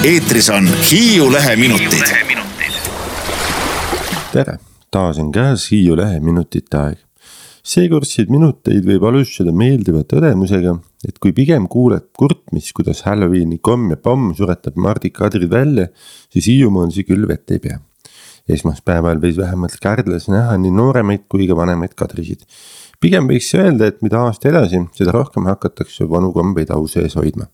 Eetris on Hiiu Lehe minutid. Tere, taas on käes Hiiu Lehe minutite aeg. Seekordseid minuteid võib alustada meeldiva tõdemusega, et kui pigem kuuled kurtmist, kuidas Halloweeni komm ja pomm suretab Mardi Kadrid välja, siis Hiiumaal see küll vett ei pea. Esmaspäeval võis vähemalt Kärdlas näha nii nooremaid kui ka vanemaid kadrisid. Pigem võiks öelda, et mida aasta edasi, seda rohkem hakatakse vanu kombeid au sees hoidma.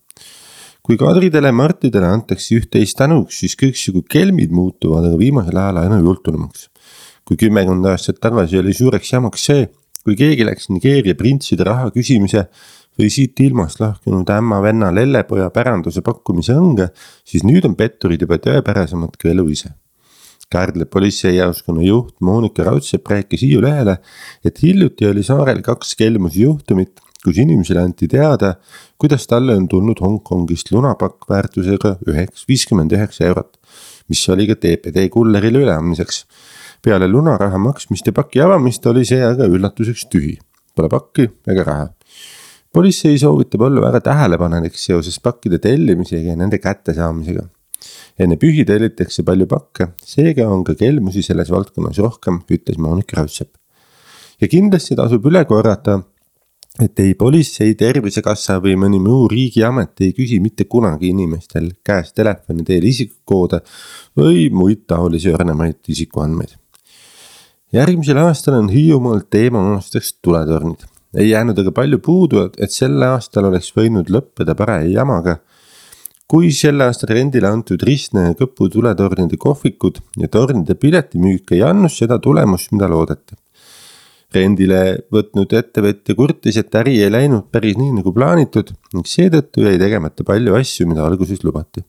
Kui kadridele ja martidele antakse üht-teist tänuks, siis kõiksugu kelmid muutuvad aga viimasel ajal aina jultunumaks. Kui 10 aastat tagasi oli suureks jamaks see, kui keegi läks Nigeeria printside raha küsimise või siit ilmast lahkunud ämma venna lellepoja päranduse pakkumise õnge, siis nüüd on petturid juba tõepärasemad kui elu ise. Kärdla politseijaoskonna juht Monika Raudsepp rääkis Hiiu Lehele, et hiljuti oli saarel 2 kelmuse juhtumit, kus inimesele anti teada, kuidas talle on tulnud Hongkongist lunapakk väärtusega 59 eurot, mis oli ka TPD kullerile üleandmiseks. Peale lunaraha maksmist ja paki avamist oli see aga üllatuseks tühi. Pole pakki ega raha. Politsei soovitab olla väga tähelepanelik seoses pakkide tellimisega ja nende kättesaamisega. Enne pühi tellitakse palju pakke, seega on ka kelmusi selles valdkonnas rohkem, ütles Monika Raudsepp. Ja kindlasti tasub üle korrata, et ei politsei, tervisekassa või mõni muu riigiamet ei küsi mitte kunagi inimestel käest telefoni teel isikukoode või muid taolisi õrnemaid isikuandmeid. Järgmisel aastal on Hiiumaal teema aastaks tuletornid. Ei jäänud aga palju puudu, et selle aastal oleks võinud lõppeda paraja jamaga. Kui selle aasta rendile antud Ristne ja Kõpu tuletornide kohvikud ja tornide piletimüük ei annus seda tulemust, mida loodeti. Rendile võtnud ettevõtja kurtis, et äri ei läinud päris nii nagu plaanitud ning seetõttu jäi tegemata palju asju, mida alguses lubati.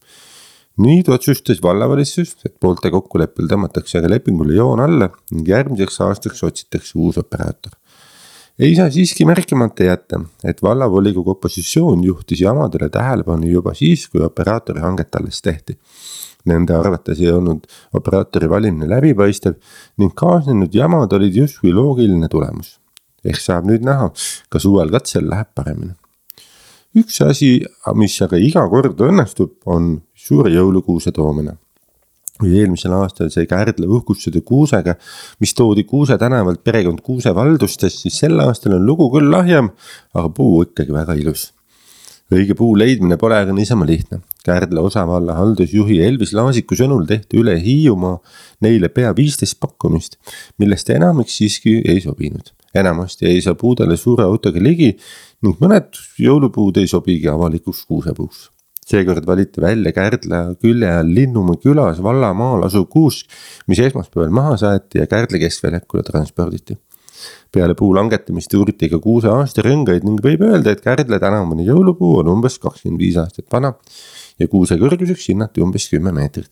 Nüüd otsustas vallavalitsus, et poolte kokkuleppel tõmmatakse aga lepingule joon alla ning järgmiseks aastaks otsitakse uus operaator. Ei saa siiski märkimata jätta, et vallavolikogu opositsioon juhtis jamadele tähelepanu juba siis, kui operaatori hanget alles tehti. Nende arvates ei olnud operaatori valimine läbipaistev ning kaasnenud jamad olid justkui loogiline tulemus. Ehk saab nüüd näha, kas uuel katsel läheb paremini. Üks asi, mis aga iga kord õnnestub, on suure jõulukuuse toomine. Kui eelmisel aastal sai Kärdla uhkustada kuusega, mis toodi Kuuse tänavalt perekond Kuuse valdustes, siis sel aastal on lugu küll lahjem, aga puu ikkagi väga ilus. Õige puu leidmine pole aga niisama lihtne. Kärdla osavalla haldusjuhi Elvis Laasiku sõnul tehti üle Hiiumaa neile pea 15 pakkumist, millest enamik siiski ei sobinud. Enamasti ei saa puudele suure autoga ligi ning mõned jõulupuud ei sobigi avalikuks kuusepuuks. Seekord valiti välja Kärdla külje all Linnumaa külas vallamaal asuv kuusk, mis esmaspäeval maha saeti ja Kärdla keskväljakule transporditi. Peale puu langetamist uuriti ka kuuse aastarõngaid ning võib öelda, et Kärdla tänavune jõulupuu on umbes 25 aastat vana ja kuuse kõrguseks hinnati umbes 10 meetrit.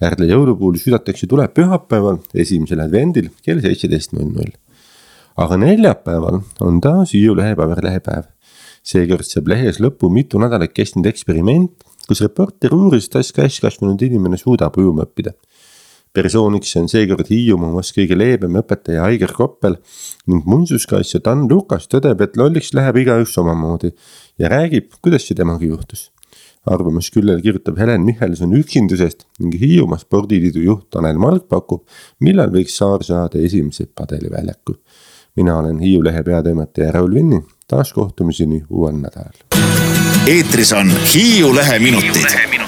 Kärdla jõulupuul südatakse tuleb pühapäeval, 1. advendil kell 17.00. Aga neljapäeval on taas Hiiu Lehe paberlehepäev. Seekord saab lehes lõppu mitu nädalat kestnud eksperiment, kus reporter uuris, kas kasvanud inimene suudab ujuma õppida. Persooniks on seekord Hiiumaas kõige leebem õpetaja Aigar Koppel ning muinsuskaitsja Dan Lukas tõdeb, et lolliks läheb igaüks omamoodi ja räägib, kuidas see temaga juhtus. Arvamus küllel kirjutab Helen Michelson üksindusest ning Hiiumaa spordiliidu juht Tanel Mark pakub, millal võiks saar saada esimese padeliväljaku. Mina olen Hiiu Lehe peatoimetaja Raul Vinni, taas kohtumiseni uuel nädalal. Eetris on Hiiu Lehe minutid.